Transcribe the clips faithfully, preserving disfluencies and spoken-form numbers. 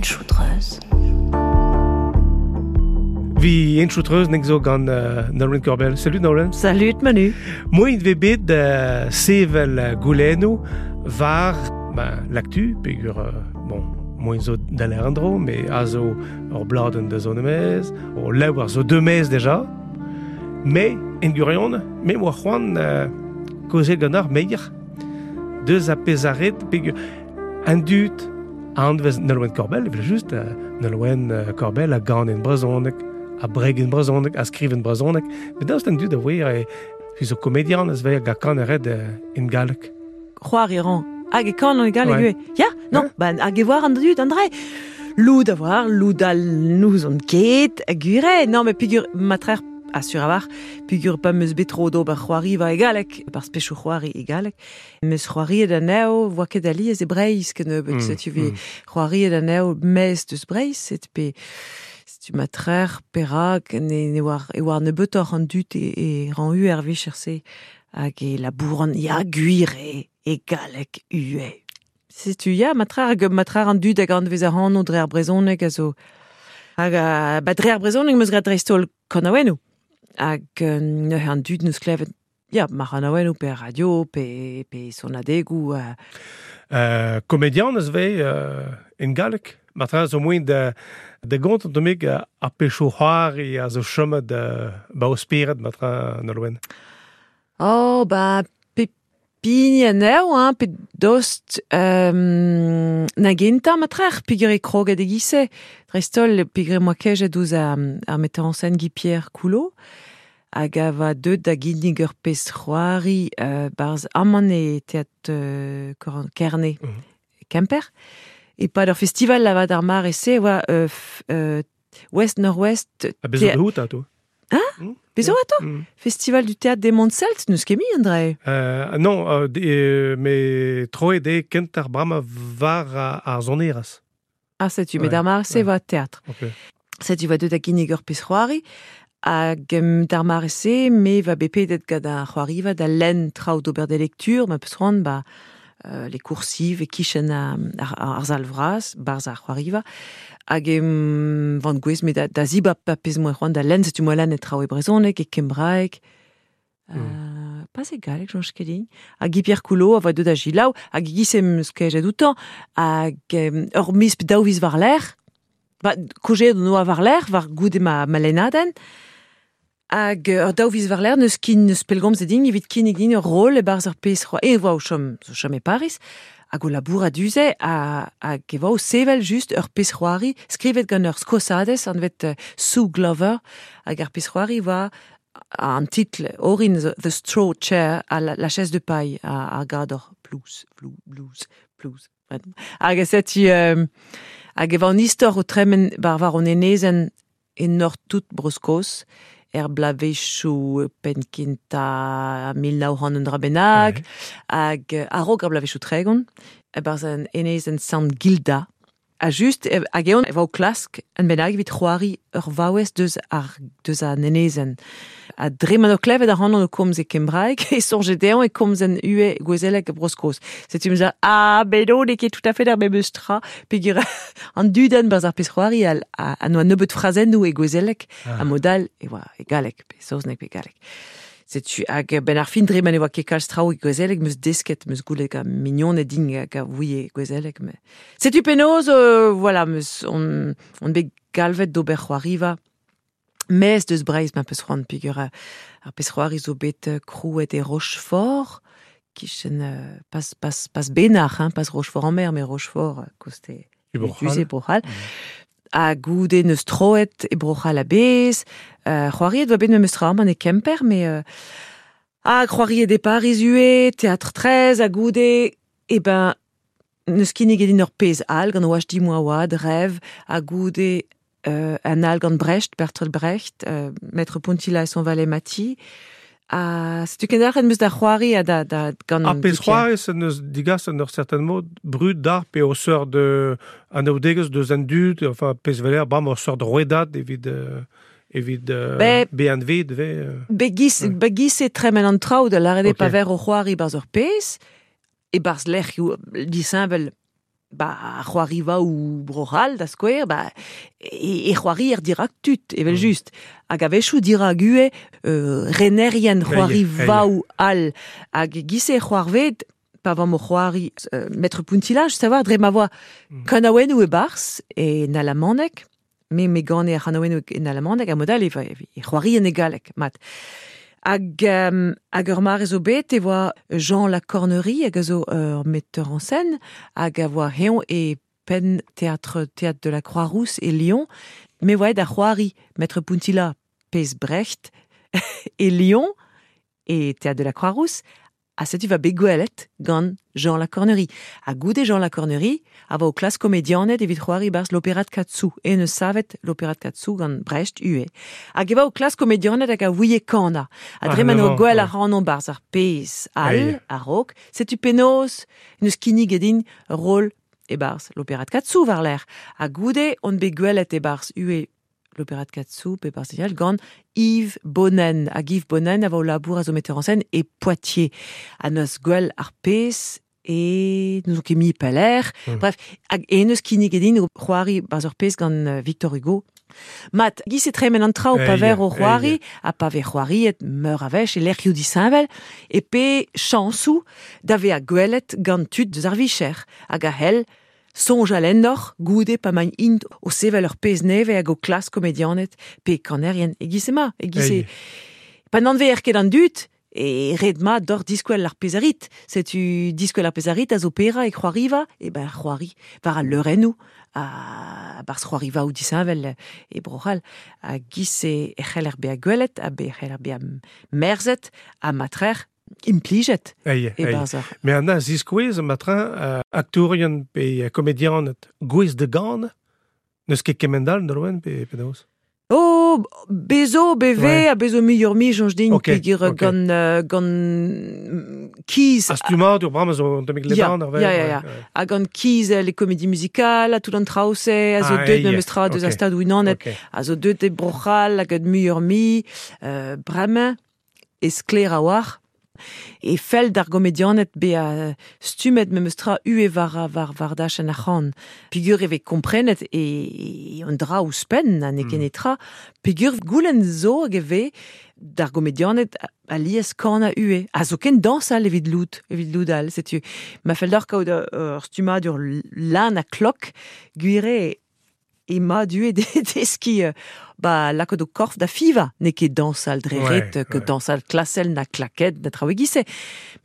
Henchoù-treuz. Vi Henchoù-treuz nek zo gant uh, Nolwenn Korbell. Salut Nolwenn. Salut Manu. Moin ve bet uh, sevel goulennoù war ben, l'actu, pegur, uh, bon, moin zo da l'erndro, me a zo ur bladenn da zo nemez, o lewar zo deux mez deja, me, en gurion, me oa c'hoant uh, kaozeal gant ar meier, deus a pezaret, pegur, an dud a anvez Nolwenn Korbell, evel just, uh, Nolwenn uh, Korbell a gan en brezhoneg, a breg en brezhoneg, a skriv en brezhoneg, met daoust an dud a voe e fi zo komedian ez vez ga kan red en galleg. C'hoar e ran. Hag e kan an galleg Ouais. ue. Ya, non, ben hag e voar an dud, André. Loud a voar, loud al nous on ket, a gure. Non, mais pigur matrer assur a war, pigur pa meus bet tro d'ober c'hoari va e galleg, par spechou c'hoari e galleg. Meus c'hoari da neo, voa ket alies e Breizh kennebeut, Mm, setu vi mm. c'hoari da neo mez deus Breizh, set pe tu matrer perak ne ne war e war nebeutoc'h an dud e, e ran u er vicher-se hag e labouran ya gwir e e galleg ue. Setu ya matrer hag matrer an dud hag an vez ar anv dre ar brezhoneg a zo hag a, ba dre ar brezhoneg meus graet dreist-holl kanaouennoù hag euh, neuze an dud neus klevet ya mar kanaouennoù pe ar radio pe pe sonadegoù euh, Euh, komedian ez vez euh, en galleg. Matra zo moin de de gont an domig a pecho c'hoari a zo chomet de ba o spered matra Nolwenn. Oh, ba, pe pign anezho, hein, pe dost euh, na gentañ matrer, peogwir e kroget e giz-se. Dreist-holl, peogwir moa kejet ouzh ar, ar metteur en scène Guy-Pierre Coulot, hag a va deut da ginnig ur pezh c'hoari euh, barz aman e teatr euh, Koran- Kerne, Mhm. Kemper. E pad ur festival lavad ar mar e se, oa euh, f- euh, Ouest Nord-Ouest... A bezo Thé- de hout, ato. Hein Mm. Bezo ato Mm. Festival du théâtre des Monts Celtes, neus ket mi, André. Euh, non, euh, de, euh, me troe de kent ar brama var a, ar zoneras. Ah, setu, Ouais, met ar mar se ouais. oa théâtre. Ok. Setu va deut da ginnig ur pezh c'hoari, hag um, d'ar mare se, me va bepedet gant ar c'hoariva da lenn traoù d'ober de lecture, ma peus c'hoant, ba, euh, les coursives e kichen ar, ar, ar zal vras, barz ar c'hoariva, hag em van gwez me da, da zibab pa pezh moa c'hoant da lenn, setu moa lenn e traoù e brezhoneg, e kembraeg, Mm. Euh, pas e galleg, soñj ket din. Hag Guy-Pierre Coulot a voa deut da gilaou, hag giz em eus kejet outañ, hag em, ur miz pe daou viz war lerc'h, ba, kojet on oa war lerc'h, war goude ma, ma lennadenn, hag euh, ur daou viz war lerc'h neus kin neus pellgomz e din, evit kinnig din ur rol e-barzh ur pezh c'hoari, e voa o chom, zo chom e Paris, hag o labour a duze, a, hag e voa o sevel just ur pezh c'hoari, skrivet gant ur skosadez, anvet euh, Sue Glover, hag ar pezh c'hoari voa an titl orin zo The Straw Chair a la, la chaise de paille a, a gador plouz, flou, blues, plouz. Hag e setu euh, hag e va an istor o tremen bar war an enezen e nord tout Bro-Skos, er blavezhioù penkinta mil nav c'hant un dra bennak, Ouais. hag euh, a-raok ar blavezhioù tregont, e-barzh an enezen Sant Gilda. A just, e, hag eon e va o klask an bennak evit c'hoari ur vaouez deus ar, deus an enezen. A dre ma o klevet ar c'hanon o komz e kembraeg, e soñjet dezhañ e komz en ue gouezelek e Bro-Skos. Setu em eus ah, ben non, n'eo ket tout à fait ar memes tra, peogwir an dudenn barzh ar pezh c'hoari al, a, a noa nebeut frazennoù e gouezelek, Ah. a modal e oa e galleg, pe saozneg pe galleg. Setu hag ben ar fin dre ma ne oa ket kalz traoù e gouezelek, meus desket, meus goulet gant mignoned din hag a ouie gouezelek. Me. Setu penaos, euh, voilà, meus on, on bet galvet d'ober c'hoariva, mez deus Breizh ma peus c'hoant peogwir euh, ar pezh c'hoari zo bet euh, krouet e Rochefort, kichen euh, pas, pas, pas Benac'h, hein, pas Rochefort-en-Mer, mais Rochefort, euh, koste E Bro-C'hall. Duze Bro-C'hall. Ha goude neus troet e Bro-C'hall a bez, euh, c'hoariet oa bet memes tra man e Kemper, mais euh, ah, c'hoariet e Paris ue, Théâtre treize, ha goude, e ben, neus kinnig edin ur pezh all, gant oach di moa oad, rêve, ha goude euh, an all gant Brecht, Bertolt Brecht, euh, Maître Pontilla et son valet Mati. Ha setu kendelc'het meus da c'hoari ha da, da gant Ar pezh Guy-Pierre. c'hoari se neus digas an ur certain mod brud d'ar pe o seur de an aoudegez deus an dud, enfin pezh veler, bam o seur de rouedad evit euh, evit euh, Be- B N V de euh, Be giz, Ouais. be giz e tremen an traoù da lâret eo Ok. pa ver o c'hoari barzh ur pezh, e barzh lec'hioù disheñvel ba c'hoariva ou broral da skouer, ba e, e c'hoari er dirak tut, evel mm. just. Hag a-wechoù dirak ue euh, renerien c'hoariva ou al. Hag gise c'hoarved, pa vam o c'hoari euh, Maître Puntilla, just savoir, dre ma voa mm. kanaouennoù e barz e nalamanek, me me gane ar c'hanaouennoù e nalamanek, a modal e, e c'hoari en e galek, mat. Hag, um, hag ur mare zo bet e voa Jean Lacornerie hag a zo ur metteur en scène hag a voa heon e pen théâtre, théâtre de la Croix-Rousse e Lyon, me voa da c'hoari Maître Puntilla pez Brecht e Lyon e théâtre de la Croix-Rousse a setu va bet gwelet gant Jean Lacornerie. Ha goude Jean Lacornerie a va o klas komedianet evit c'hoari barz l'opéra de Katsu, e ne savet l'opéra de Katsu gant Brecht ue. Hag e va o klas komedianet hag a ouie kana. A dre ma no gwell a ranon barz ar pez al, a rok, setu penaos neus kinnig edin rôle e barz l'opéra de Katsu war l'air. Ha goude on bet gwelet e barz ue l'opéra de Katsu, pe barz gant Yves Bonnen. Hag Yves Bonnen a va o labour a zo metteur en scène e Poitiers. A neus gwell ar pez e nous ket mi peler. Mm. Bref, hag e neus kinnig edin o c'hoari barz ur pez gant Victor Hugo. Mat, giz e tremen an traoù pa ver o c'hoari, ha pa ver c'hoariet meur a wech e lec'hioù disheñvel, e pe chañsoù da ve a gwelet gant tud deus ar vicher, hag a hell soñjal ennoc'h goude pa maint int o sevel ur pezh nevez hag o klas komedianet pe kanerien e giz ema, e giz e... Pa n'an ver ket an dud, e red ma d'or diskwel ar pezarit. Setu diskwel ar pezarit a zo pera e c'hoariva, e ben c'hoari war al leurennoù, a barz c'hoariva ou disheñvel e bro'hall. A giz e c'heller bezañ gwelet, a be c'heller bezañ merzet, ha matrer implijet e barz ar. Me an a ziskouez matrin uh, aktourien pe komedianet gwez de gant, neus ket kemendal noroen pe penaos? Oh, bezo, beve, ouais. A bezo muioc'h mi, soñj din, okay, peogwir okay. gant, uh, gant kiz... A stummadur bremañ zo un tammig ledan ar vel. Ya, ya, ya. Ha gant kiz les comédies musicales, a tout an traoù-se, a zo ah, deut memes tra deus a stad unanet, okay. A zo deut e Bro-C'hall, hag muioc'h mi, euh, bremañ, e sklaer a-walc'h, E fell d'ar gomedianet be a stummet memes tra ue war, war, war dachenn ar c'han. Peogwir e vez komprenet e, e an dra ouzhpenn, ha n'eo ket netra. Peogwir goulenn zo hag e vez d'ar gomedianet alies kanañ ue. A zo ken dañsal evit lout, evit lout all, setu. Ma fell d'ar kaout ur stummadur lan ha klok, gwir eo e ma due de deski ba lakaat o korf da fiva, n'eo ket dañsal dre ret, ouais, ket dañsal klasel na klaket na traoù e-giz-se.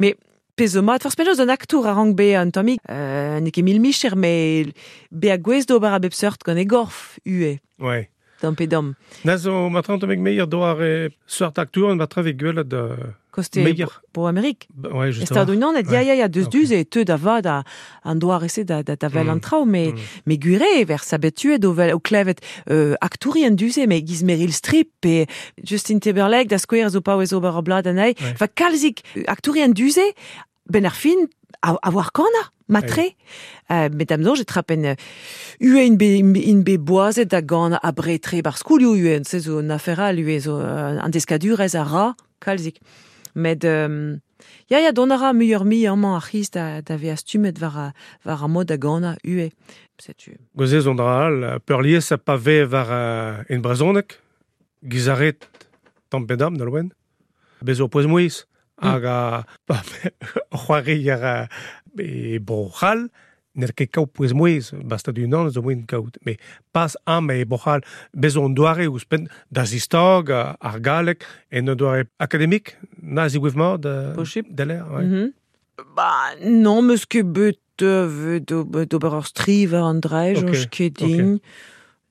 Mais pezh zo mat, forzh penaos un aktour a rank bezañ un tammig, euh, n'eo ket mil micher, mais bezañ gouest d'ober a bep seurt gant e gorf ue. Ouais. Tamm pe damm. Na zo matran tammig meier doar e seurt aktour an matra vez gwelet Koste bo Amerik. Ouais, justement. Stad-Unanet, ya, ya, ya, deus duz e teu da vad a, an doar ese da, da, da vel an traoù, me, mm. me gwire ver sabetuet o, vel, o klevet euh, aktourien duze, me giz Meryl Streep pe Justin Timberlake da skouer zo paouez ober ur blad anezhi. Ouais. Fa kalzik aktourien duze, ben ar fin, a, a war kana, matre. Euh, met da'm soñj e trapen ue in be, in be boazet da gant a bretre bar skoulioù ue, se zo un afer all ue, zo uh, an deskadurez a ra, kalzik. Met euh, ya, ya, dont a ra muioc'h mi amañ ar c'hiz da, da vezañ stummet war, a, war ar mod da ganañ ue. Setu. Gozez on dra all, peurlies a pa vez war uh, en brezhoneg, gizaret tamm pe damm da loen, bez o pouez-mouez, hag a pa c'hoari ar e Bro-C'hall, n'er ket kaout pouez-mouez, basta d'unan zo moen kaout. Mais pas am e Bro-C'hall, bez on doare ouzhpenn da zistag ar galleg en un doare akademik, na zigouev mat da l'air. Ouais. Mm -hmm. Ba, non, meus ket bet euh, d'ober ur striv an draej, okay. Ket din.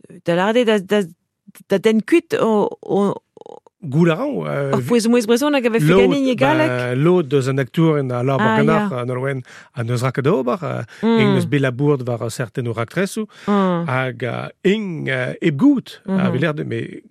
Okay. Da lâret da, da, da den kuit o, o Goul a ran. Euh, Ur pouez-mouez brezhoneg a vefe ganin e galleg. Ba, lod deus an aktour en a labour ah, ganac'h an Nolwenn a neus raket ober, mm. ing neus bet labour war certain o raktresoù, mm. hag uh, ing uh, hep gout, mm -hmm. a veler de, me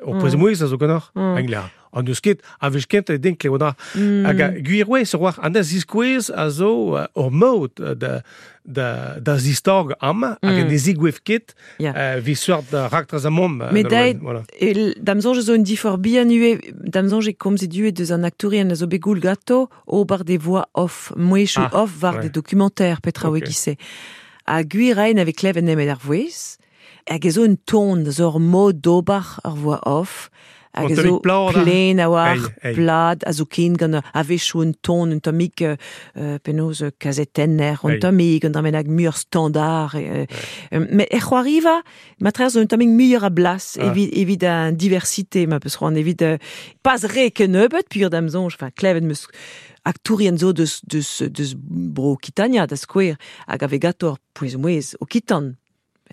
ur mm. pouez-mouez a zo ganac'h, mm. ing an deus ket, a vez kent e den klev mm. Hag gwir oe, se war, an da ziskouez a zo ur mod da, da, da zistag amañ, mm. hag an ezigouev ket, yeah. uh, vi seurt da raktres a mom. Me dait, voilà. E, da'm soñj zo un difor bihan ue, da'm soñj e komzet ue deus an aktourien a zo bet goul gato, ober des voix off, mouezhioù ah, off war ouais. des documentaires, petra okay. oe gise. Ha gwir aen ave klevet nemet ar vouez, hag e zo un ton, zo ur mod d'ober ar voix off, hag e zo plen a war, plad, a zo ken gant a-wechoù un ton, un tammig euh, penaos kazetenner, un tammig, un tammig muioc'h standard. Euh, euh, met er c'hoariva, matre zo un tammig muioc'h a blas, ah. evit, evit an diversité, ma peus c'hoant, evit euh, pas re kennebeut, puur da'm soñj, enfin, klevet meus aktourien zo deus, deus, deus bro Okitania, da skouer, hag ave gato ar pouez-mouez okitan.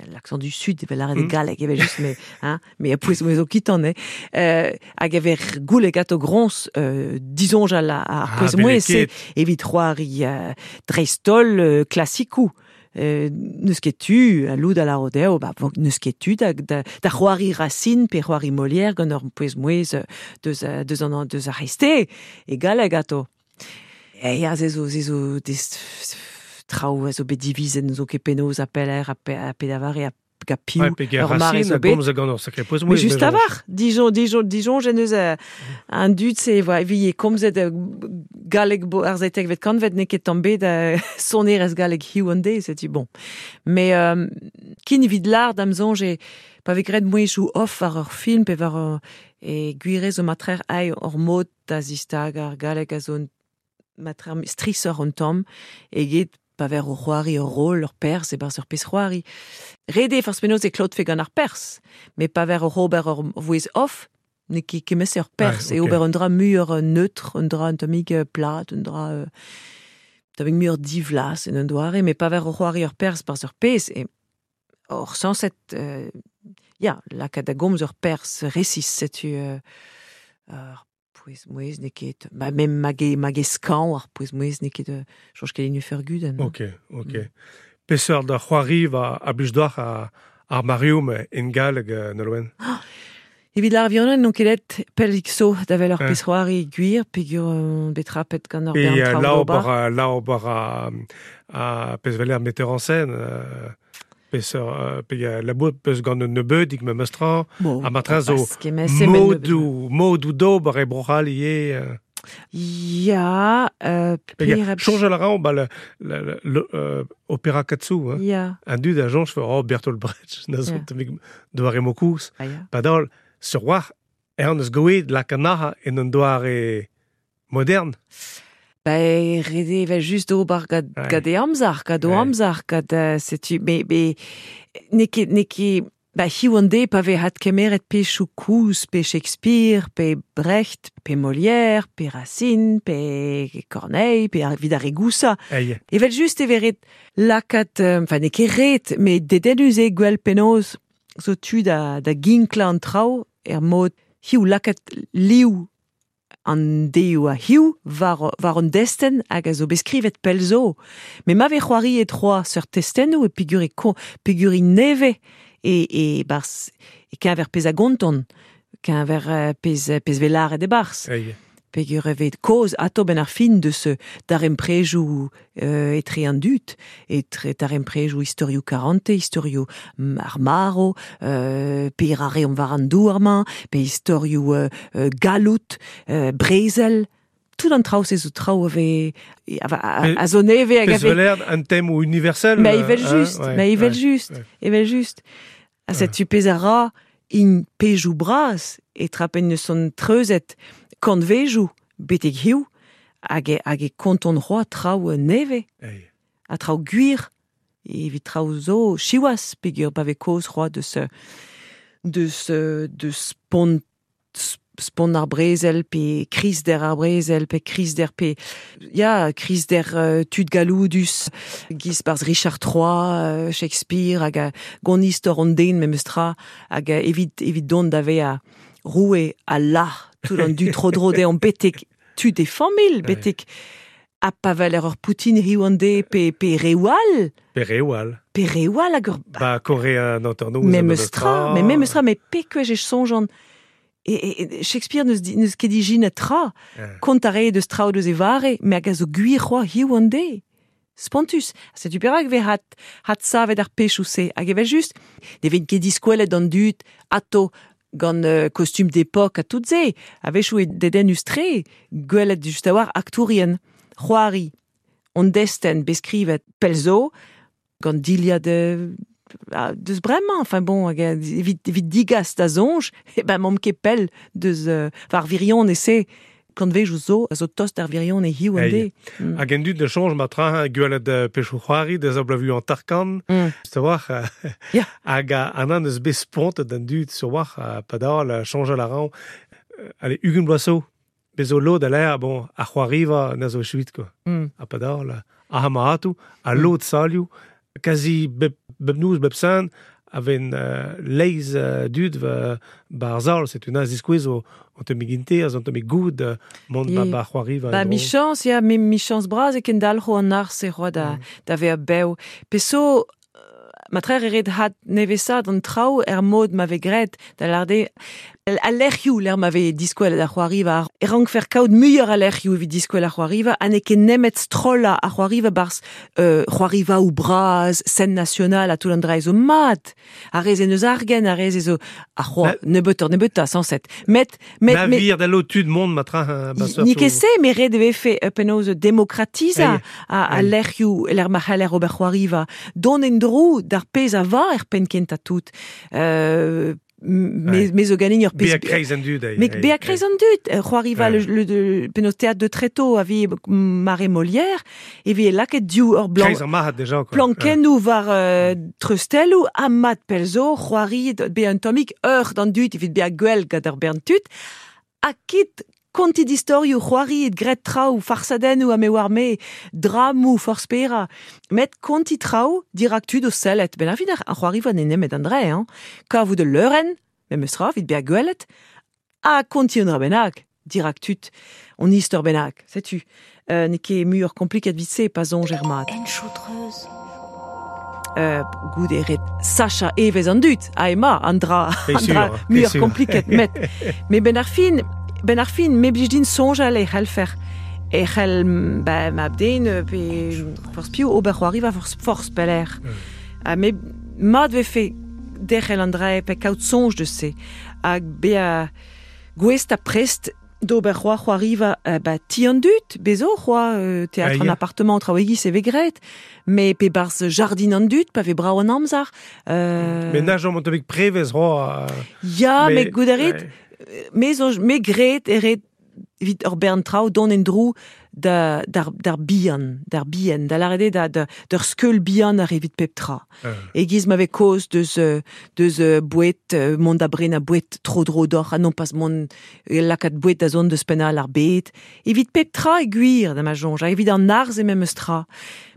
L'accent du sud, evel lâret mm. e galleg, evel just, mais, hein, mais a pouez-mouez okitan, eh. Euh, hag ave goule gato groñs, euh, disoñjal ar ah, pouez-mouez, se, evit c'hoari euh, dreist-holl euh, klasikou. Euh, n'eus ket tu, a loud a la rodeo, ba, n'eus ket tu da, da, da c'hoari Racine pe c'hoari Molière gant ur pouez-mouez deus, deus an deus ar reste, e galleg ato. E ya, ze zo, ze zo, des traoù a zo bet divizen zo ket penaos a peler a, pe, a pedavare a ga piv ur mare zo bet. Mais just a war, Dijon, Dijon, Dijon, jen eus un dud se, voa, vi e komzet galleg bo ar zetek vet kanvet n'eo ket tamm bet sonerezh galleg hiziv an deiz, setu bon. Mais euh, kin evit lar da'm soñj e pa vez graet mouezhioù off war ur film pe war ur, e gwirez o matrer ai ur mod da zistag ar galleg a zo un matrer strisoc'h un tamm eget pa ver o c'hoari ur rol ur perzh e-barzh ur pezh c'hoari. Ret eo forzh penaos e klotfe gant ar perzh, met pa ver oc'h ober ur vouezh off, n'eo ket kement-se ur perzh, ouais, okay. E ober un dra muioc'h neutre, un dra un tammig plat, un dra euh, tammig muioc'h divlas en un doare, met pa ver o c'hoari ur perzh barzh ur pezh, e or sañset, euh, ya, lakaat da gomz ur perzh resis, setu euh, ur pouez-mouez n'eo ket, ma, mem mag e, mag e skañv ar pouez-mouez n'eo ket, soñj ket enu fer gudenn. Ok, ok. Mm. Peseurt da c'hoari va a blij deoc'h ar, ar Marium en galleg Nolwenn? Oh, evit ar violenn n'on ket aet pellik zo da vel ur pezh c'hoari gwir, peogwir on bet trapet gant ur bern traoù d'ober. E la ober a, a pezh veler metteur en scène, euh, peseurt pe labour peus gant un nebeudig memes tra, bon, ha matre zo modou, modou d'ober e Bro-C'hall ivez. Ya, euh, per... Soñjal a ra ba le, le, le, euh, opéra Katsu, hein. Ya. Un dud a soñj oh, Bertolt Brecht, na zo tammig doare mokouz. Ah, ya. Padal, sur war, er eus goet lakanaha en un doare modern. Ba, ret eo evel just ober gant, ouais. gant e amzer, gant o ouais. amzer, gant uh, setu, me, me, n'eo ket, n'eo ket, ba, hiziv an deiz pa vez adkemeret pezhioù koulz, pe Shakespeare, pe Brecht, pe Molière, pe Racine, pe Corneille, pe evit ar re gousañ. Evel just e vez ret lakaat, enfin, n'eo ket ret, met dedennus eo gwell penaos zo tu da, da ginklañ an traoù er mod hiziv lakaat liv an deioù a hiziv war, war an destenn hag a zo bet skrivet pell zo. Met ma vez c'hoari e troa seurt testennoù e peogwir e kon, peogwir e nevez e, e barzh e keñver pezh a gonton, keñver pezh, pezh vez lâret e-barzh. Ei. Peogwir e vez kaoz atao benn ar fin deus daremprejoù euh, etre an dud, etre daremprejoù istorioù karante, istorioù ar maro, euh, pe ar reomp war an douar-mañ, pe istorioù euh, galloud, euh, brezel, tout an traoù se zo traoù a vez a, a, a zo nevez hag a vez... Pezh un thème universel. Mais evel just, hein, ouais, mais evel ouais, just, ouais. Evel just. Ha setu pezh a ra in pezhioù bras e trapen neus son treuzet kantvejoù betek hiziv hag e, hag e konton c'hoazh traoù nevez. Ei. Ha traoù gwir evit traoù zo siwazh peogwir pa vez kaoz c'hoazh deus deus deus spont spont ar brezel pe krizder ar brezel pe krizder pe ya krizder uh, tud galloudus giz barzh Richard trois, uh, Shakespeare hag a gant istor an den memes tra hag evit evit dont da vezañ roue a la tout an dud tro-dro dezhañ betek tud e familh, betek ha pa veler ur Poutine hiziv an deiz pe, pe reoù all. Pe reoù all. Pe reoù all hag ur... Ba, Korea an hanternoz. Memes tra, mais memes tra, mais pekwech e soñjan. E, e, Shakespeare neus, neus ket ijinet tra, kont a rae deus traoù deus e vare, me hag a zo gwir c'hoazh hiziv an deiz. Spontus. Setu perak vez hat, hat savet ar pezhioù-se. Hag evel just, ne vez ket diskwelet an dud ato gant euh, costume d'époque ha tout se. A-wechoù e dedennus-tre, gwelet just a-walc'h aktourien, c'hoari, on destenn beskrivet pell zo, gant dilhad euh, deus bremañ, enfin bon, hag evit, evit digas da soñj, e ben m'omp ket pell deus euh, war virion ese kantvejou zo, a zo tost ar virion e hiu an de. Mm. Hag en dud de soñj ma tra gwelet pechou c'hoari deus a blavu an tarkan, mm. se war, yeah. Hag an an eus bet spontet an dud sur war, padal, soñjal a ran, allez, ugent bloaz zo, bezo lod a l'air, bon, ar c'hoariva na zo chuit, quoi. Mm. A padal, a hamatou, a lod salioù, quasi bep, bep nouz, bep san, aven uh, leiz uh, dud va bar zal, c'est un aziskouez o an te miginte, an te goud uh, mont ba ba c'hoariva. Ba michans, ya, me michans braz e ken dalc'ho an arz e c'hoa da, mm. da vea bev. Peso, ma trer e ret hat nevesad an traoù er mod ma ve gret da larde a lec'hioù l'er ma ve diskouel da c'hoariva e rank fer kaout muioc'h a lec'hioù evit diskouel ar c'hoariva ha n'eo ket nemet strolla ar c'hoariva barz euh, c'hoariva ou braz scène nationale a tout an dra zo mat a rez en eus argen a rez zo a c'hoa nebeutoc'h nebeuta cent sept met met met vir da lo tud mont ma tra ni ket se me ret e vefe penaos demokratiza a, a lec'hioù l'er ma c'haller ober c'hoariva don en dro d'ar pezh a va er penn kentañ tout. Euh, me, me zo ganin ur pezh... Bea kreiz an dud. Me bea kreiz an dud. C'hoariva le, le, le, penaos théâtre de Tréteau a vi mare Molière, e vi laket diou ur blanc... Kreiz an marc'had deja, quoi. Plankennoù war euh, treustelloù, ha mat pelzo, c'hoari bea un tammig ur d'an dud, evit bea gwell gant ar bern tud, ha kit konti d'istorioù, c'hoari et gret traoù, farsadennoù ha me war me, dramou, forz pera. Met konti traoù dirak tud o sellet. Ben ar fin ar c'hoariva ne nemet an dre, hein. Kavout de leurenn, memes tra, evit bea gwelet, ha konti un dra bennak, dirak tud, on istor bennak, setu. Euh, n'eo ket muioc'h kompliket vit se, pa soñj er mat. En choutreuz. Euh, goud e ret sacha evez an dud, ha ema, an dra, an dra muioc'h kompliket, met. Me ben ar fin, Ben ar fin, me blij din soñjal e c'hellfer. E c'hell, ba, ma den, pe forz piv ober c'hoariva forz, forz peller. Mm. Ha me mat vefe derc'hel an dra pe kaout soñj deus se. Hag bea gouest ha prest d'ober c'hoar c'hoariva euh, ba, ti an dud, bezo c'hoa euh, théâtre an appartement traoù-egis e ve gret, mais pe barz jardin an dud, pa ve brao an amzer. Euh... Mais na jom an prevez c'hoa... Ya, mais gout a ret, me zo me gret e ret evit ur bern traoù don en drou da d'ar d'ar bihan, d'ar bihan, da lâret eo da da d'ur skeul bihan ar evit pep tra. Uh. E giz ma vez kaoz deus deus boued, mont da brena boued tro dro d'oc'h, ha non pas mont lakaat boued da zont deus pennal ar bed. Evit pep tra e gwir da ma soñj, ha evit an arz e memes tra.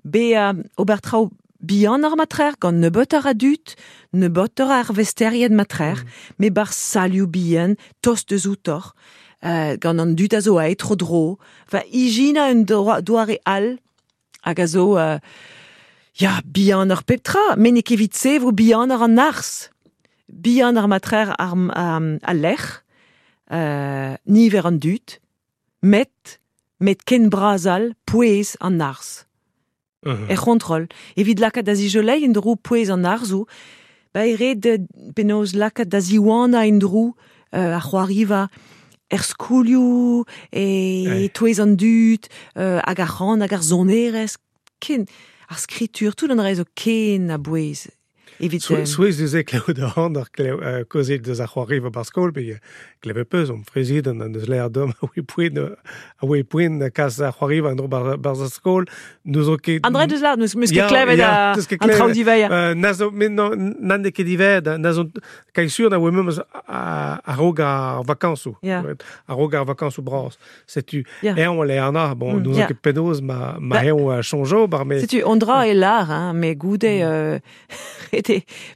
Be uh, ober traoù bihan ar matrer, gant nebeutoc'h a dud, nebeutoc'h ar vesterien matrer, mm. me bar salioù bihan, tost deus outoc'h, euh, gant an dud a zo aet tro dro, va ijina un doare all, hag a zo, euh, ya, bihan ar pep tra, met n'eo ket evit se vo bihan ar an arz, bihan ar matrer ar, ar, al lec'h, euh, niver an dud, met, met ken bras all pouez an arz. Uh-huh. Er c'hontrol. Evit lakaat da zijolei en dro pouez an arzoù, ba e ret penaos lakaat da ziwana en dro euh, ar c'hoariva er skolioù, e hey. touez an dud, euh, hag ar c'han, hag ar sonerezh, ken, ar skritur, tout an dra zo ken a bouez. Evit... Souez deus e klev da an ar klev kozet deus ar c'hoariva bar skol, pe kleve peus, om prezident an deus l'air dom a oe poent, a oe poent kas ar c'hoariva an dro bar, bar ar skol, nous zo ket... An dra deus l'ar, neus ket klevet a an traoù diveia. Na zo, met non, nan ket diver, na zo, kai sur na oe memes a-raok ar vakañsoù, a-raok ar vakañsoù bras. Setu, eñ le ana, bon, nous zo ket penaos ma, ma eñ a chonjo, bar me... Setu, on dra e lar, hein, me goude... Euh,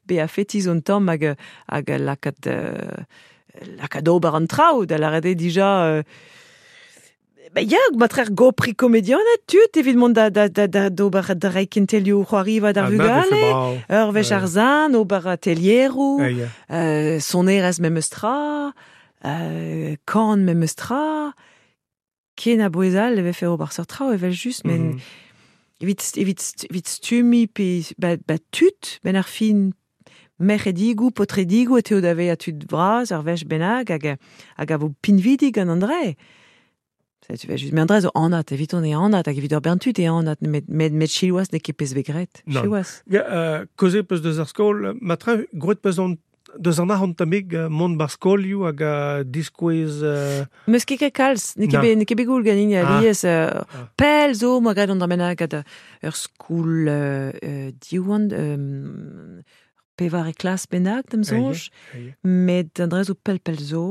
be a fetiz un tamm hag, hag lakaat, euh, lakaat ober an traoù, da lâret eo dija... Euh, ba ya, matrer gopri komedianed tud evit mont da, da, da, da d'ober da reiñ kentelioù c'hoariva d'ar vugale, ur wech ar zan, ober atelieroù, euh, sonerezh memes tra, euh, kan memes tra, ken a bouez all e vefe ober seurt traoù evel just, men... Mm -hmm. Evit, evit, evit stumi pe ba, ba tud, ben ar fin merc'hedigoù, paotredigoù e teo da vezañ tud vras, ar wech bennak, hag, hag a vo pinvidik gant an dre. Tu vas juste, mais André zo anat, evit on e anat, hag evit ur bern tud e anat, met, met, met siwazh n'eo ket pezh bet graet. Siwazh. Ja, uh, koze peus deus ar skol, matre, groet peus an deus an arc'hant tamig mont bar skolioù hag uh, diskouez... Uh... Meus ket ket kalz, n'eo ket bet, n'eo ket bet goul ganin alies. Uh, ah. Pell zo, moa graet an dra bennak gant ur skoul uh, uh, Diwan, um, pevar e klas bennak, da'm soñj, met an dra zo pell pell zo.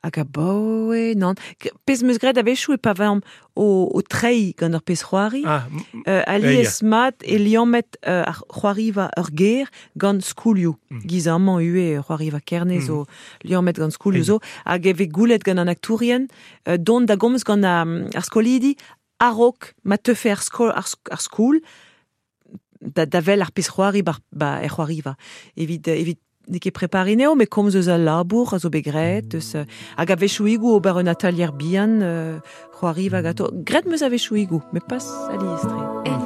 Hag a baoe, nan. Pezh meus graet a-wechoù e pa vamp o, o treiñ gant ur pezh c'hoari. Ah, euh, alies yeah. mat e liammet euh, ar c'hoariva ur ger gant skoulioù. Mm. Giz amañ ue c'hoariva Kerne mm. zo liammet gant skoulioù zo. Hag e vez goulet gant an aktourien euh, dont da gomz gant ar, ar skolidi a-raok ma teufe ar, skol, ar, ar skoul da, da vel ar pezh c'hoari ba, ba er c'hoariva. Evit, evit n'eo ket prepari neo, met komz eus al labour a zo bet graet, eus, hag a-wechoùigoù ober un atalier bihan, euh, c'hoariva gato. Graet meus a-wechoùigoù, met pas alies-tre. Mm.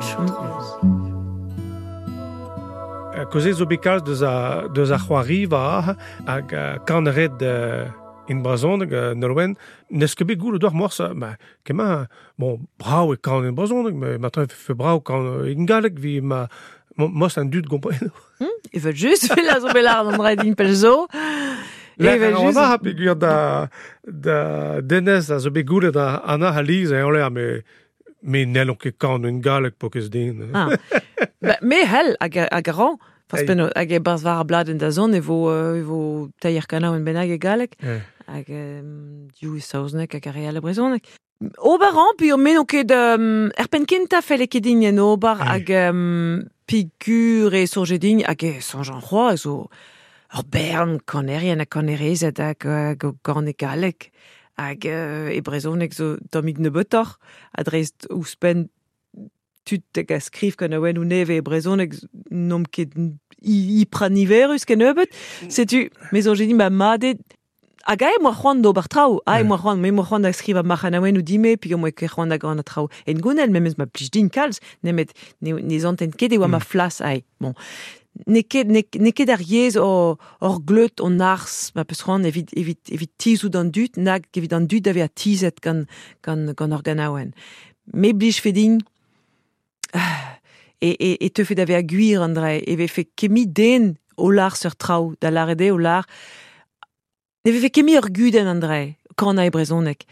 Koze zo bet kalz deus a, deus a c'hoariva hag kan red uh, in brezhoneg, uh, Nolwenn, n'eus ket bet goût d'or morse, ma kema, bon, brav e kan in brezhoneg, met matre fe brav kan in galleg vi ma Mos an dud gompreno. Mm, evel just, vel a zo bet lâret an dra din pell zo. Evel just. An peogwir da, da Denez a zo bet goulet a Anna a Liz e an me me n'hellon ket kan un galleg po ket den. Ah. Ba, me hell hag hag a ran. Fas penno hag e barzh war ar bladenn da zont e vo e vo teir kanaouenn bennak e galleg. Hag um, div e saozneg hag ar re all e brezhoneg. Ober an, puis me n'on ket um, er penn kentañ felle ket din en ober hag um, pigur e soñje din hag e soñj an c'hoazh zo ur bern kanerien ha kanerezed hag gant e galleg hag uh, e brezhoneg zo tammig nebeutoc'h ha dreist ouzhpenn tud hag a skriv kanaouennoù nevez e brezhoneg n'omp ket hyper niverus kennebeut. Setu, me soñje din ma mat eo Hag ae moa c'hoant d'ober traoù, ae moa c'hoant, me moa c'hoant da skrivañ marc'hanaouennoù dime, puis moa ket c'hoant da gant traoù. En gounel, memes ma plij din kalz, nemet ne, ne zanten ket e oa ma flas ae. Bon. N'eo ket, n'eo ket ar yezh or, or gleut on arz, ma peus c'hoant evit, evit, evit tizout an dud, nag evit an dud da vezañ tizet gant, gant, gant ur ganaouenn. Me blij fe din, e, e, e teufe da vezañ gwir an dra, e vefe kemi den o lar sur traoù, da lâret eo o lar, Ne vefe ket mi ur gudenn an dra, kan e brezhoneg.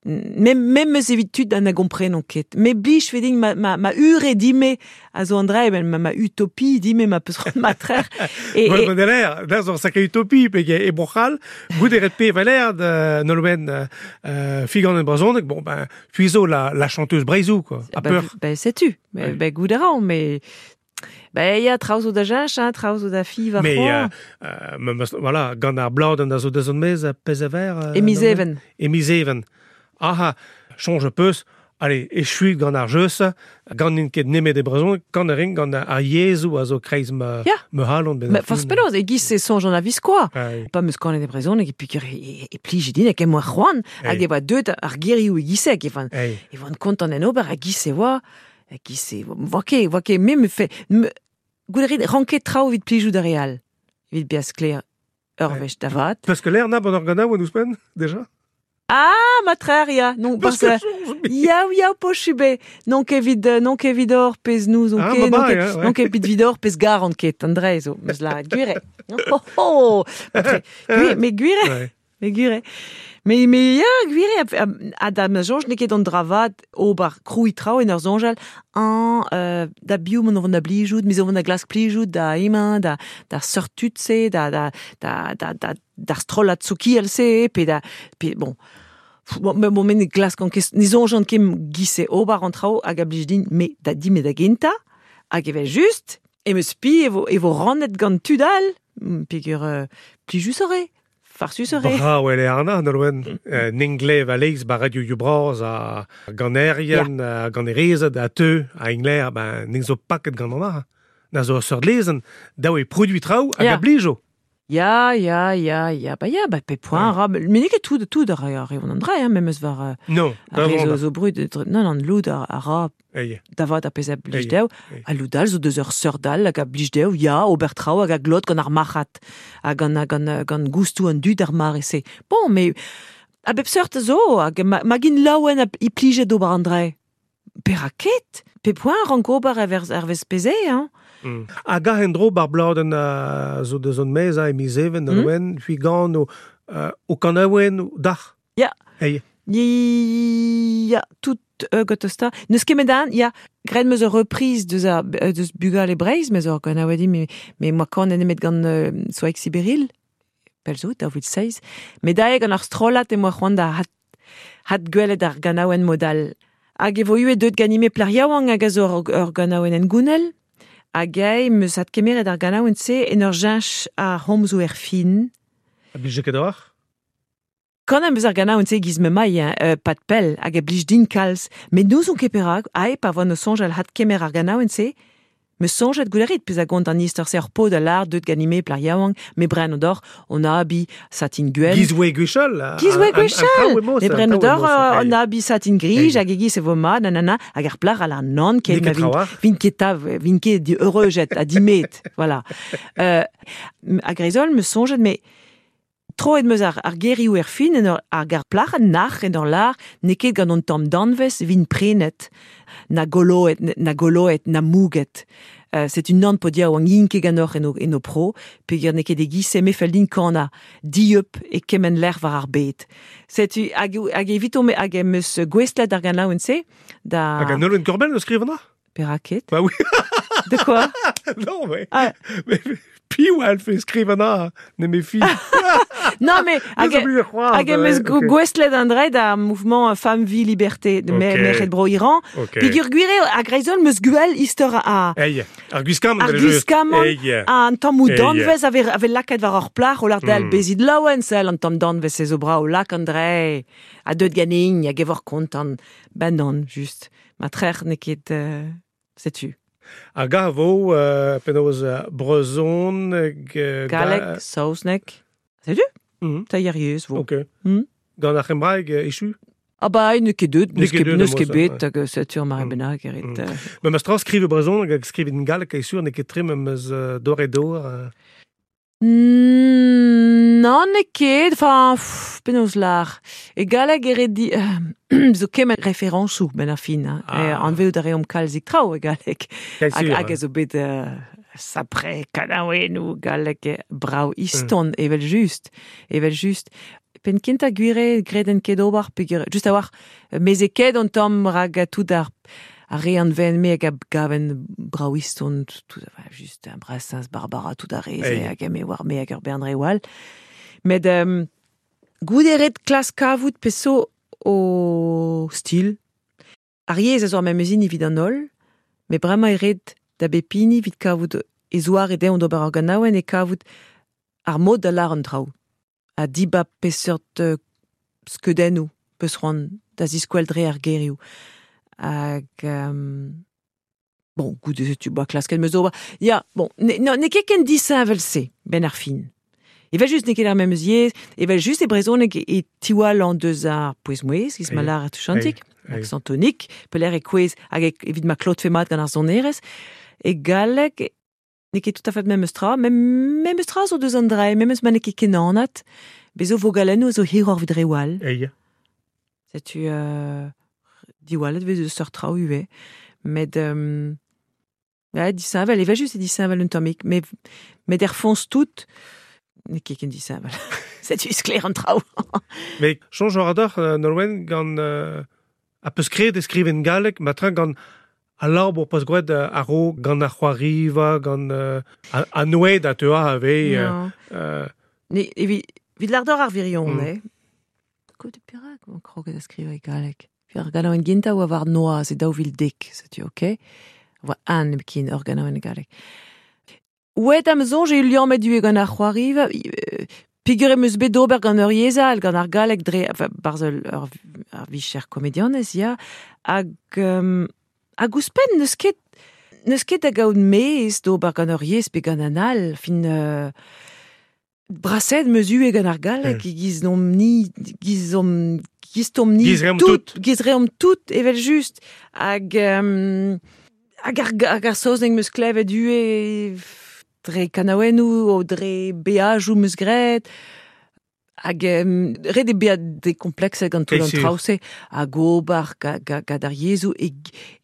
Mem, mem eus evit tud an a gomprenon ket. Me blij fe din ma, ma, ma ure dime a zo an dra, ma, ma utopie dime ma peus c'hoant ma trec'h. E, e... Bon, l'air, da zo sacré utopie, pe e boc'hal, gout eret pe valer de Nolwenn euh, figan en brezhoneg, bon, ben, puis zo la, la chanteuse Breizou, quoi. A ben, peur. Ben, sais-tu. Ben, ben gout a ran, mais... Ben, ya, traoù zo da jench, hein, traoù zo da fi, war Mais, euh, euh, voilà, gant ar bladenn da zo da zon mez, pezh a ver... Euh, e miz even. E miz even. Aha, chonj peus, allez, echuit gant ar jeus, gant n'int ket nemet e brezhoneg, gant ar ring, gant ar yezhoù a zo kreiz ma, yeah. ma halon. Ben forzh penaos, e giz e soñj an aviz quoi. Pa meus kanet e brezhoneg, e piker e, e plij din hag e moa c'hoant, hag e oa deut ar gerioù e giseg, e van, e van kontant en ober, hag giz e oa, hag giz e oa ket, oa ket, me me fe... Me, Gout a rit, ranket traoù evit plijout ar re all. Evit bezañ sklaer ur wech da vat. Parce que l'air n'a bon organa ou ouzhpenn, déjà? Ah, ma trer, ya. Non, parce que ya, ya, pochube. Non ket evit, non ket evit or pezh nous, on ah, ket, non ket, ouais. non ket evit vidor pezh garant ket, an dre zo, meus lâret gwir. Oh, oh, gwir, mais gwir, mais gwir. Mais, mais ya, gwir eo, a da ma soñj n'eo ket an dra vat ober krouiñ traoù en ur soñjal an euh, da biv mont vont da blijout, mis vont da glask plijout, da emañ, da, da seurt tud-se, da, da, da, da, da, d'ar strollad sokial-se, pe da, pe, bon, bon, mais bon, me ne glask an ket, ne soñjan ket giz-se ober an traoù hag a blij din, me da di me da gentañ, hag evel just, e meus pi e vo, e vo rannet gant tud all, peogwir euh, plijus eo. Farsus eo. Brav eo Arna, Nolwenn. Euh, N'englev a leiz ba radio ioù bras a ganerien, a ganerezed, a teu, a engler, ben, n'eng zo paket gant an ar. Na zo ur seurt lezenn, daou e produit traoù hag a blijo. Ya, ya, ya, ya, ba ya, ba pe point ra, mais n'eo ket tout, tout ar re an dra, hein, memes war... Non, ar re zo, zo brud, non, non, loud ar, ar ra, da vat a pezh a blij dezho, a loud all zo deus ur seurt all hag a blij dezho, ya, ober traoù hag a glot gant ar marc'had, hag gant, gant, gant goustoù an dud ar mare-se. Bon, mais A bep seurt zo, hag ma, ma gin laouen a i plijet d'ober an dre. Peraket? Pe poent rank ober er, er vez peze, hein? Mm. Hag a en dro bar bladen uh, zo de zon mez a e miz even, mm. oen, hui gant o, uh, o kanaouen o dach. Ya. Hey. Ya, tout euh, gotosta. Neus ket an, ya, graet meus ur reprise deus ar, deus Bugal e Breizh, meus ur ganaouedi, me, me moa kan en emet gant euh, Soaik Siberil, pel zo, daou vil seiz. Me dae gant ar strollad e moa c'hoant da hat, hat gwelet ar ganaouen modal. Hag e vo ue deut ganime plar yaouank hag a zo ur, ur ganaouen en gounel, hag eo meus hat kemeret ar ganaouen se en ur jench ar homzoù er fin. A blije ket ar? Kan am eus ar ganaouen se giz me mai, hein, euh, pat pell, hag e blij din kalz. Met n'ouzon ket perak, ae pa voa no soñjal hat kemer ar ganaouen se, me soñjet goulerit pez a gont an istor se ur pod a lar deut ganime plar yaouank, me bren odor, on a abi satin gwen. Giz oe gwechall. Giz oe gwechall. Me bren odor, on a abi satin grij, hag e giz e vo ma, nanana, hag ar plar a lar nan, ket ma vin, vin ket tav, vin ket di eureujet, a dimet, voilà. Euh, hag reizol, me soñjet, me troet meus ar, ar gerioù er fin en ur ar gar plac'h nac'h en ur lar n'eo ket gant an tamm danvez vin prenet na goloet na goloet na mouget. Euh, c'est une nan podia oan yin ket ganeoc'h en o, en o pro, peogwir n'eo ket e giz-se me fell din kana dieup e kement lec'h war ar bed. Setu hag, hag evito me hag em eus gouestlet ar ganaouenn se da... Hag an Nolwenn Korbell o skrivañ? Peraket? Bah oui. De quoi? Non, mais... Ah. Mais piv a fait skrivañ ne me fi. Non, mais hag, hag em eus okay. gouestlet an dre da mouvement Femme, Vie, Liberté de okay. Merc'hed Bro Iran. Okay. Peogwir gwir eo hag reizon meus gwell istor a... Ei, ar gwiskamant. Ar gwiskamant, an tamm danvez ave, ave lakaet war ur plac'h o lar del mm. bezit laouen sell an tamm danvez se zo bra o lak an dre a deut ganin hag e vor kontant. Ben non, just. Ma trec'h n'eo ket... Euh, setu. Hag a vo euh, penaos brezhon... Euh, Galleg, saozneg. Setu? Mm. Ta yariez vo. Ok. Mm. Gant ar c'hembraeg echu? Ah ba, n'eo ket deut, n'eus ket, n'eus ket bet, hag setu ar mare bennak erit. Mm. Ma ma stra skrive brezhon hag skrive en galleg e sur n'eo ket tre meus dor e dor. Mm, non, n'eo ket, enfin, penaos lar. E galleg eret di... Euh, zo kement referensoù ben ar fin. Hein. Ah. E, anveout a reomp kalzik traoù e galleg. Hag, hag a zo bet... Euh, sapre kanaouennoù galleg brao iston, mm. evel just, evel just. Pen kenta gwire greden ket ober, peogwir, just a war, meze ket an tamm rag tout ar, ar re an ven me hag a gaven brao iston, tout, enfin, just un Brassens, Barbara, tout ar re, hag me war me hag ur bern re wall. Met um, gouderet klas kavout peso o stil. Ar yezh a zo ar memes hini evit an holl, met bremañ e ret da bepini evit kavout e zoar e deomp d'ober ar ganaouenn e kavout ar mod da lar an traoù. A dibab peseurt euh, skeudennoù peus c'hoant da ziskoel dre ar gerioù. Hag... Um, bon, goude se tu boa klasket meus ober. Ya, bon, ne, no, n'eo ket ken disheñvel se, ben ar fin. Evel just n'eo ket ar memes yezh, evel just e brezhoneg e tiwall an deus ar pouez-mouezh, giz ma lar a touchantik, accent tonique, pelec'h e kouez hag evit ma klotfe mat gant ar sonerezh. E galleg, n'eo ket tout à fait memes tra, mem, memes tra zo deus an dre, memes ma n'eo ket ken anat, bezo vogalennoù zo hiroc'h evit re wall. Ei. Setu euh, diwallet vez eus seurt traoù ivez. Met... Euh, ouais, disheñvel, evel just e disheñvel un tammig, met, met er foñs tout, n'eo ket ken disheñvel. Setu sklaer an traoù. Mais soñj war adoc'h, euh, Nolwenn, gant euh, a peus kred e skriven galleg, ma tra gant a labour peus gwraet a-raok, gant ar c'hoariva, gant euh, a, a noued a teua a vez... Euh, euh, Ne, evit, evit lardor ar virion, Mm. eh? Kout perak on kroget a skrive e galleg. Fi ar ganaouenn gentañ oa war noazh e daou vil dek, setu, ok? Oa an ebken ur ganaouenn e galleg. Ouet am soñj e liammet du e gant ar c'hoariva, euh, peogwir em eus bet d'ober gant ur yezh all, gant ar galleg dre, enfin, barzh ur, ur, ar vicher komedianez, ya, hag, um, hag ouzhpenn n'eus ket, n'eus ket da gaout mez d'ober gant ur yezh pe gant an all, fin... Euh, braset meus ue gant ar galleg, Mm. giz nomp ni, giz omp, giz tomp ni Giz reomp tout, giz reomp tout, evel just, hag, um, hag ar, hag ar saozneg meus klevet ue dre kanaouennoù o dre beajoù meus graet. Hag um, ret e beat dekomplekset gant tout an traoù-se, hag ober gant ar yezhoù e,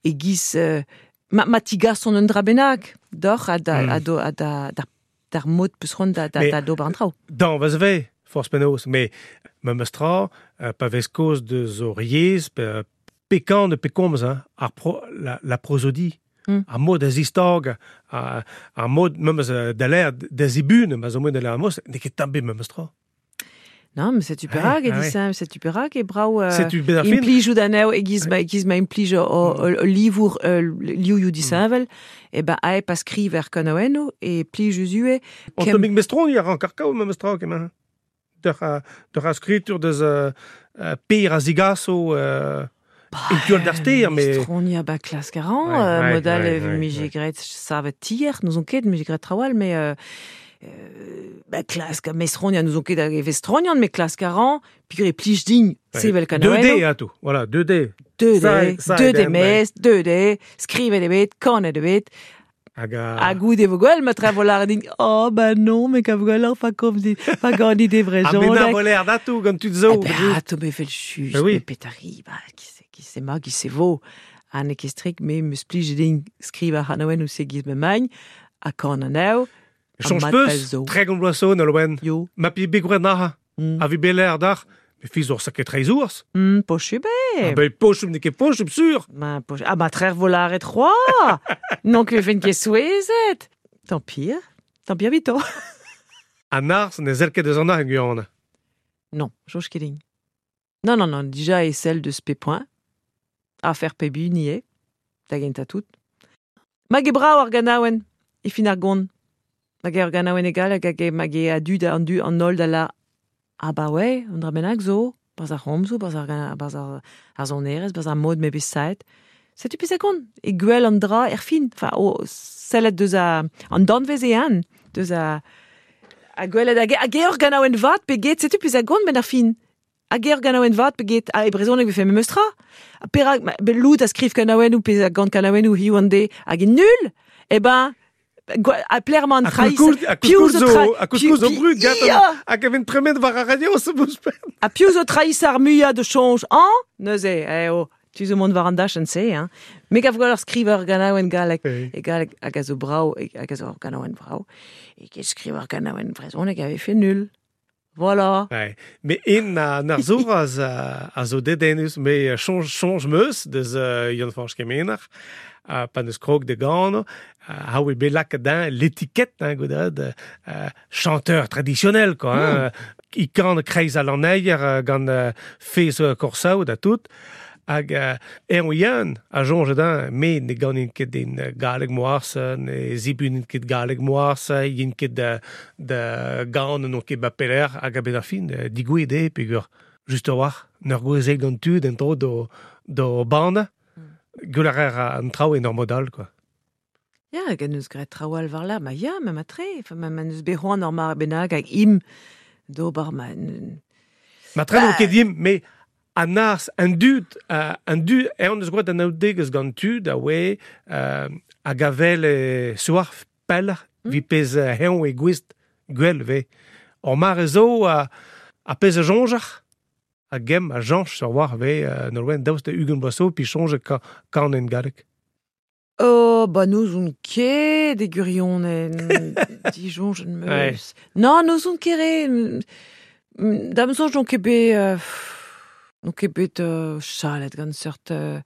e giz... Uh, ma, ma tigason un dra bennak, doc'h ha da, mm. ha do, ha da, da, d'ar mod peus c'hoant da, da, da d'ober an traoù. Dan, vez vez, forz penaos, mais ma meus tra, uh, pa vez kaoz deus ur yezh, pe, pe kan pe komz, hein, ar pro, la, la prosodie. Mm. Ar mod a zistag, ar, ar mod memes da l'air da zibun, ma zo mod da l'air mos, n'eo ket tamm bet memes tra. Non, mais setu perak e disem, setu perak e brao euh, implijout anezho e giz ma, e giz ma implij o, o, o livour euh, liouioù disheñvel, e ben ae pa skriver kanaouennoù e plij eus On kem... Tomig mestron ya ran karkaou memes tra kement. D'ur a skritur deus euh, per a zigaso euh, e tual d'ar ster, mais... Mestron ya ba klask a ran, ouais, modal ouais, ouais, mije graet savet tier, n'ouzon ket, mije graet trawal, mais... Euh, Euh, ba klask a mesronian nous on ket hag e vestronian, mais klask a ran, peogwir e plij din sevel kanaouennoù. deux D a tout, voilà, deux D. deux D, deux D mez, deux D, skrivet eo bet, kanet eo bet. Hag a... Ha goude vo gwell, ma tre vo lâret din, oh ba non, me kav gwelloc'h pa komz dit, pa gant ide vrezhoneg. Ha me na vo l'air d'atou gant tud zo. Eh ben, ato me vel just, me petari, ba, ki se, ki se ma, ki se vo. Ha ne ket strik, me meus plij din skrivañ c'hanaouennoù se giz me magn, ha kan anezho. Change peus, tregont bloaz zo, Nolwenn. Jo. Ma pi begouret nac'ha. Mm. A vi beler d'ar, me fiz ur saket reiz ours. Mm, pochu be. Ah ben pochu, n'eo ket pochu, sur. Ma pochu. Ah ma trer vo lâret c'hoa. Non ket fen ket souezhet. Tant pire. Tant pire vito. An arz ne sell ket deus an ar en. Non, soñj ket din. Non, non, non, dija e sell deus pe point. Afer pe bu nie. Da gentañ tout. Mag e brav ar ganaouenn, e fin ar gont. Hag ur ganaouenn egal hag hag hag e a dud an du an holl da la ah ba ouais, an dra bennak zo, barzh ar c'homzoù, barzh ar barzh ar, ar sonerezh, barzh ar mod me bet saet. Setu pezh a gont, e gwell an dra er fin, enfin, o sellet deus a, an danvez e an, deus a, a gwelet hag hag ur ganaouenn vat pe get, setu pezh a gont ben ar fin. Hag ur ganaouenn vat pe get, a e brezhoneg vefe memes tra. Ha perak, be lout a skriv kanaouennoù pe a gant kanaouennoù hiziv an deiz, hag e nul, e ben, a plerman traïs. A piv zo a koulz zo brud gat hag a vent tremen war ar radio se bouspen. A piv zo traïs ar muiañ de soñj an neuze eh oh tu zo mont war an dachenn se hein. Me gav gwell ur skriver ganaouenn galleg e galleg hag a zo brav hag a zo ur ganaouenn brav e ket skriver ganaouenn brezhoneg a vefe nul. Voilà. Ouais. Mais en a ar zoraz a, a zo dedennus me soñj soñj meus deus uh, Yann-Fañch Kemener uh, pa neus krog de gano uh, ha oe bet lakaet din l'étiquette hein, goudad uh, chanteur traditionnel quoi hein, mm. I kan kreiz a lanneier uh, gant uh, fez uh, korsaou da tout hag uh, er Yann a soñj din me ne ganin ket din galleg moarz ne zibunin ket galleg moarz yin ket da da gan non ket ba peler hag a bet ar fin digouet eo peogwir just a-walc'h n'ur gouezel gant tud en dro do do banda gwell ar an traoù en ur mod all quoi. Ya, hag en eus graet traoù all war la, ma ya, ma matre, enfin, ma, ma neus bet c'hoant ur mar bennak hag im d'ober ma... Ma tre n'on ket im, mais an arz, an dud, uh, an dud, e on eus gwad an aoudegez gant tud a oe uh, hag a vel e soar pell mm. vi pez heon e gouest gwell ve. Ur mare zo a, a pez a soñjar, a gem a jañch sur war ve uh, Nolwenn daoust da ugent bloaz zo pi soñj ka, kan en galleg. Oh, ba n'ouzon ket e gwirionez, disoñj en meus. Ouais. Non, n'ouzon ket re. Da'm soñj n'on ket bet... Euh, n'on ket bet euh, chalet gant seurt euh,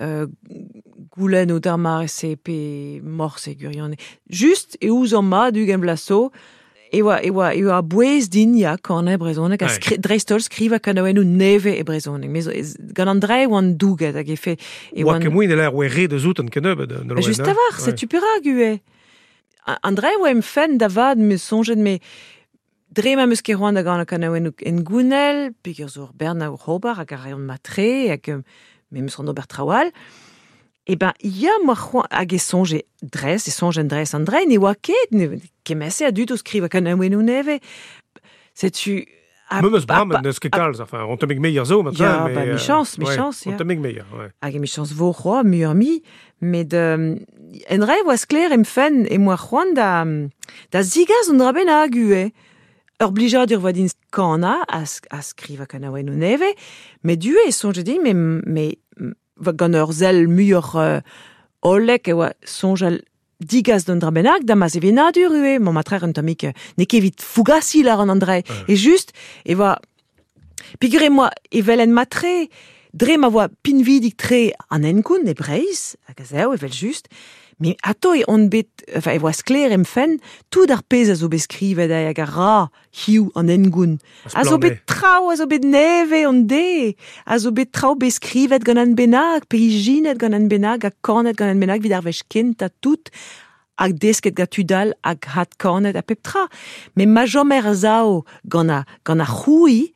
euh, goulenn o d'ar mare-se pe morse e gwirionez. Just e ouzon mat ugent bloaz zo, e oa, e oa, e oa bouez din ya kan e brezhoneg, a skri, dreist-holl skrivañ kanaouennoù nevez e brezhoneg. Mais gant an dre oan douget hag e fe... E oa ket mouin e l'air oa re deus out an kennebeut. Just a-walc'h, setu perak ivez. An dre oa em fenn da vat me soñjet me... Dre ma meus ket c'hoant da gant kanaouennoù en gounel, peogwir zo ur bern a ober hag a reont matre, hag me meus c'hoant ober traoù all. E ben, ya, moa c'hoant, hag e soñje dres, e soñjen dres an dre, ne oa ket, ne kemese a dud o skrivañ kanaouennoù nevez. Setu... Me meus bram, n'eus ket kalz, enfin, on temig meier zo, maintenant, ya, mais... Ba, michañs, michañs, ya. On temig meier, ouais. Hag e michañs vo c'hoa, muioc'h mi, met euh, en re oa sklaer em fenn e moa c'hoant da, da zigaz an dra bennak ivez. Ur blijadur voa din kana a, a skriva kanaouennoù neve, met du e soñje din, me, me gant ur sell muioc'h euh, hollek e oa soñjal digas d'un dra bennak, da ma sevenadur ue, mon matrer un tammig n'eo ket evit fougasi lar an andrei. Ouais. E just, e oa... Pigure moa evel en matre, dre ma voa pinvidik tre an enkoun e Breizh, hag a zeo, evel just, me ato e on bet, enfin, e voa sklaer em fenn, tout ar pezh a zo bet skrivet hag a ra hiu an engoun. A zo bet traoù, a zo bet neve an de, a zo bet traoù bet skrivet gant an bennak, pe ijinet gant an bennak, ha kanet gant an bennak, vid ar wech kent ha tout, hag desket gant tudal hag hat kanet ha pep tra. Me ma jomer a zao gant a, gant a c'houi,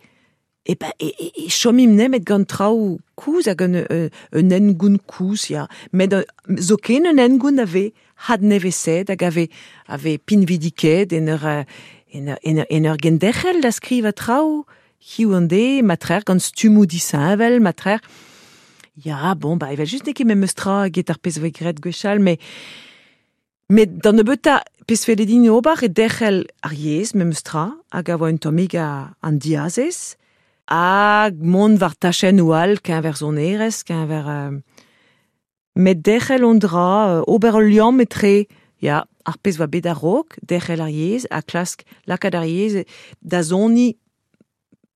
e ba, e, e, e chomim nemet gant traoù kouz hag un, un, un engoun kouz, ya. Met zo ken un engoun a ve had neveset hag a ve, a ve pinvidiket en ur, en ur, en ur, en ur genderc'hel da skriva traoù, hiu an de, matrer gant stummoù disheñvel, matrer. Ya, bon, ba, evel just n'eo ket memes tra get ar pezh voe graet gwechall, mais met d'an nebeutañ pezh felle din ober e derc'hel ar yezh memes tra, hag a voa un tammig a, an diazez, hag mont war tachennoù all, keñver sonerezh, keñver... Euh, met derc'hel on dra, euh, ober ul liamm etre, ya, ar pezh oa bet a-raok, derc'hel ar yezh, ha klask lakaat ar yezh da soniñ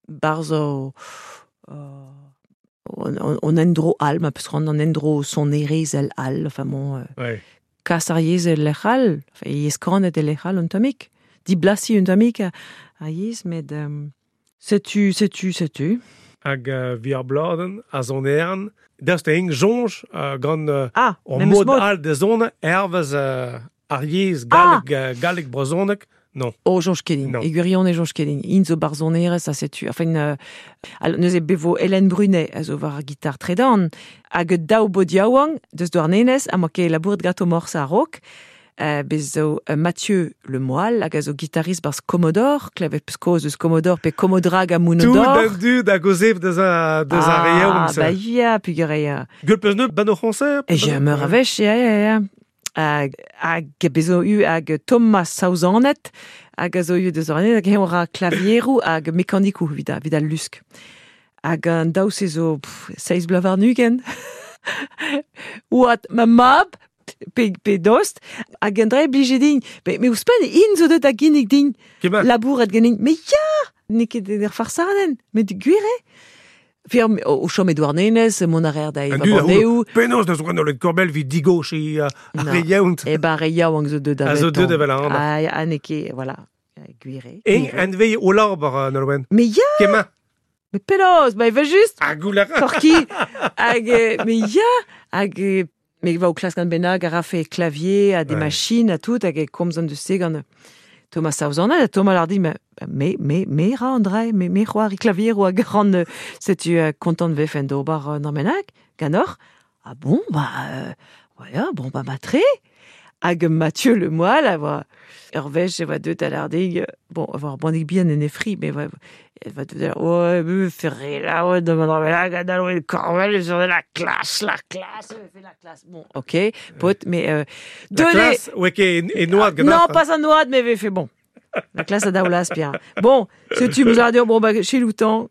barzh o, on, on, on endro all, ma peus c'hoant an endro sonerezhel all, enfin bon... Euh, ouais. Kas ar yezh el lec'h all, enfin, yezh kanet el lec'h all un tammig, diblasiñ un tammig a, a yezh, met... Euh, Setu, setu, setu. Hag uh, vi ar bladen, a zoneran, daoust eng soñj uh, gant uh, ah, ur mod all da zone, hervez uh, ar yezh galleg, ah. uh, galleg brezhoneg, non. Oh, soñj ket din. E gwirionez soñj ket din. Int zo barzhonerez, ha setu. Enfin, euh, al, neuze bevo Hélène Brunet, a zo war ar gitar tredan, hag daou bod yaouank, deus Douarnenez, ha moa ket labouret gato morse a-raok, Uh, bez zo uh, Mathieu Le Moal, hag a zo gitarist barz Commodore, klevet peus kaoz eus Commodore pe Commodrag ha Mounodor. Tout an dud hag o zev deus a, deus ar Ah, reoù. ba ya, pugur eo. Gwell peus neut ban o c'hoñser? E j'ai meur a wech, ya, ya, ya. Hag, hag bez zo u hag Thomas Saouzanet, hag a zo u deus ar hag eñ ra klavieroù hag mekanikoù evit a, evit al lusk. Hag an daou se zo pff, seizh bloaz warn-ugent. Oad ma mab, pe, pe dost, hag an dra blije din. Me, me ouzhpenn, int zo deut da ginnig din, Kement. labouret ganin. Me ya, n'eo ket ur farsadenn, met gwir eo. Fier, o, o chom e Douarnenez, mont a reer da An eva dud a Bordeaux. Penaos deus gant ul korbel vi digoch e uh, ar re yaount. E ba re yaouank zo deut da A zo deut evel an. Ah, ha n'eo ket, voilà, gwir eo. Eng an vei o labour, uh, Nolwenn. Me ya, Kement. mais penaos, ba evel just. Ha goul a ra. Torki, hag, me ya, hag, me va o klask gant bennak a rafe clavier, a des Ouais. machines, a tout, hag e komz an deus se gant Thomas Saouzannet, ha Thomas lar dit, me, me, me, me ra an dra, me, me c'hoari clavier ou hag ran, setu euh, kontant vefen d'ober euh, n'ar bennak, ganoc'h. Ah bon, bah, euh, voilà, bon, bah, matre. Hag Mathieu Le Moal, a voa, ur wech e voa deut a lar dig, bon, a voa bannig bihan en e fri, mais voa, e voa deut a lar, ouais, me ferre la, ouais, de ma bennak, hag a korvel, sur la classe, la classe, me fait la classe. Bon, ok, pot, mais, euh, La deuet- classe, ouais, ket e noad gant Non, pas un noad, mais fait bon. La classe à Daoulas, bien. Bon, setu meus a dir, bon, bah, chez Loutan,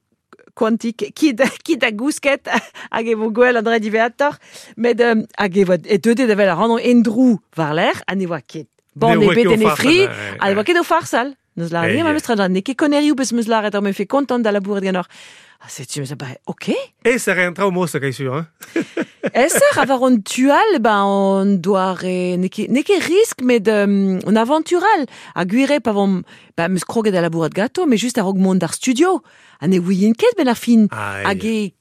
quantique, qui da, qui da gousket, hag e vo gwell an dre diveator, met euh, hag e voa, e deuet da vel a randon endrou war l'air, ha ne voa ket. Bon, Ne ne oa bet ket o en e fri, farsal, ouais, ha ne voa ouais. ket o farsal. Neus lar Eh, ma eh. meus tra ne ket konnerioù peus meus laret, ar me fait kontant da labouret ganeoc'h. Ah, setu, meus a ba, ok. E se re an traoù mos a sur, hein? Esser a war on tual, ben on doare, n'eo ket, n'eo ket risk, met um, on aventural. A gwire pa vom, ben meus kroget a labourat gato, mais just a-raok mont d'ar studio. Ha ne ouien ket ben ar fin. Ah, Hag e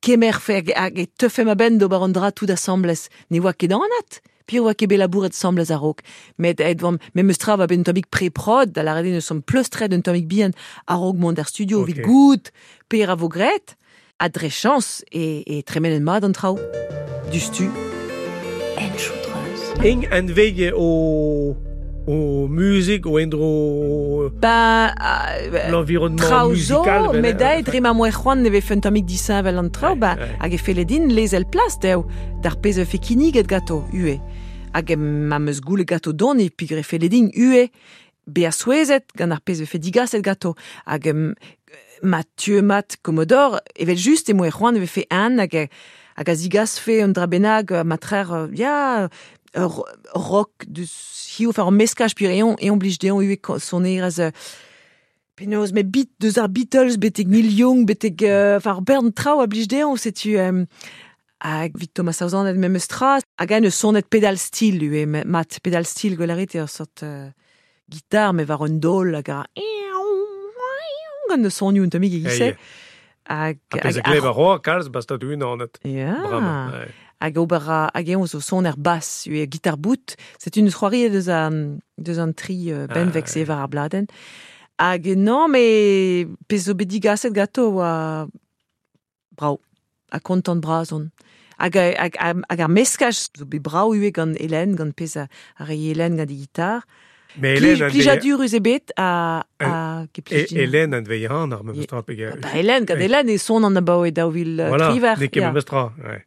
kemer fe, hag, hag e teufe ma benn d'ober an dra tout asambles. Ne oa ket anat. Pir oa ket bet labouret asambles a-raok. Met aet vam, me meus tra va ben un tammig pré-prod, da lâret eo neus omp pleustret un tammig bihan a-raok mont d'ar studio, Ok. evit goût per a vo graet. Ha dre chañs e, e tremenet mat an traoù. Du stu. Enchoutreuse. Eng an vei o, o muzik, o endro Ben, euh, l'environnement traoù zo, musical. ben, met euh, aet dre ma moe c'hoant ne vefe un tammig disheñvel an traoù, Ouais, ba, ouais. hag e felle din lezel plas dezho, d'ar pezh a fe kinniget gato, ue. Hag ma meus goulet gato don e pigre felle din, ue. Bea souezet gant ar pezh vefe digaset gato. Hag um, Mathieu Mat Commodore, evel just e moe c'hoant e vefe an hag, hag a zigasfe un dra bennak matrer, ya, ur rock deus hiziv, enfin ur meskaj pur eon, eon blij dezhañ ivez sonerezh penaos, met bit, deus ar Beatles betek Neil Young, betek, enfin ar bern traoù a blij dezhañ, setu um, hag vit Thomas Sauzan et memes tra, hag an eus sonet pedal steel ivez, mat pedal steel gwelarit eo ur sort uh, gitar me war un dol hag a gant eus sonioù un tammig e-giz-se. Hag a glev a roa kalz basta du unanet. Ya. Hag ober a, hag eon zo son er bass, eo gitar bout. C'est une c'hoari deus an, deus an tri uh, benveg se war ar bladenn. Hag non, me pezh zo bet digaset gato oa brao, ha kontant bras on. Hag, hag, hag ar meskaj zo bet brao ivez gant Hélène, gant pezh a, a rei Hélène gant e gitar. Mais Hélène Plijadur eus ebet a, a e, Hélène an veihan ar memes tra pe Ba Hélène, gant Hélène e son an abaoe daou vil voilà, triver. N'eo ket memes tra, ouais.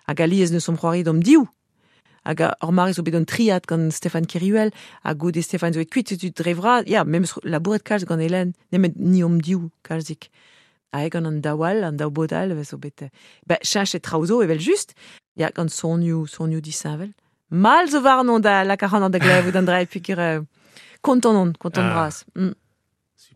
Hag alies neus omp c'hoari d'om div. Hag ur mare zo bet un triad gant Stéphane Keruel, hag goude Stéphane zo et kuit, setu dre vras, ya, memes labouret kalz gant Hélène, nemet ni om div kalzik. Hag gant an daou all, an daou bod all, zo bet... Ba, cheñchet traoù zo, evel just, ya, gant sonioù, sonioù disheñvel. Mal zo warnon da lak ac'hanon da glevout an dra, peogwir euh, kontant on, kontant ah. bras. Mm.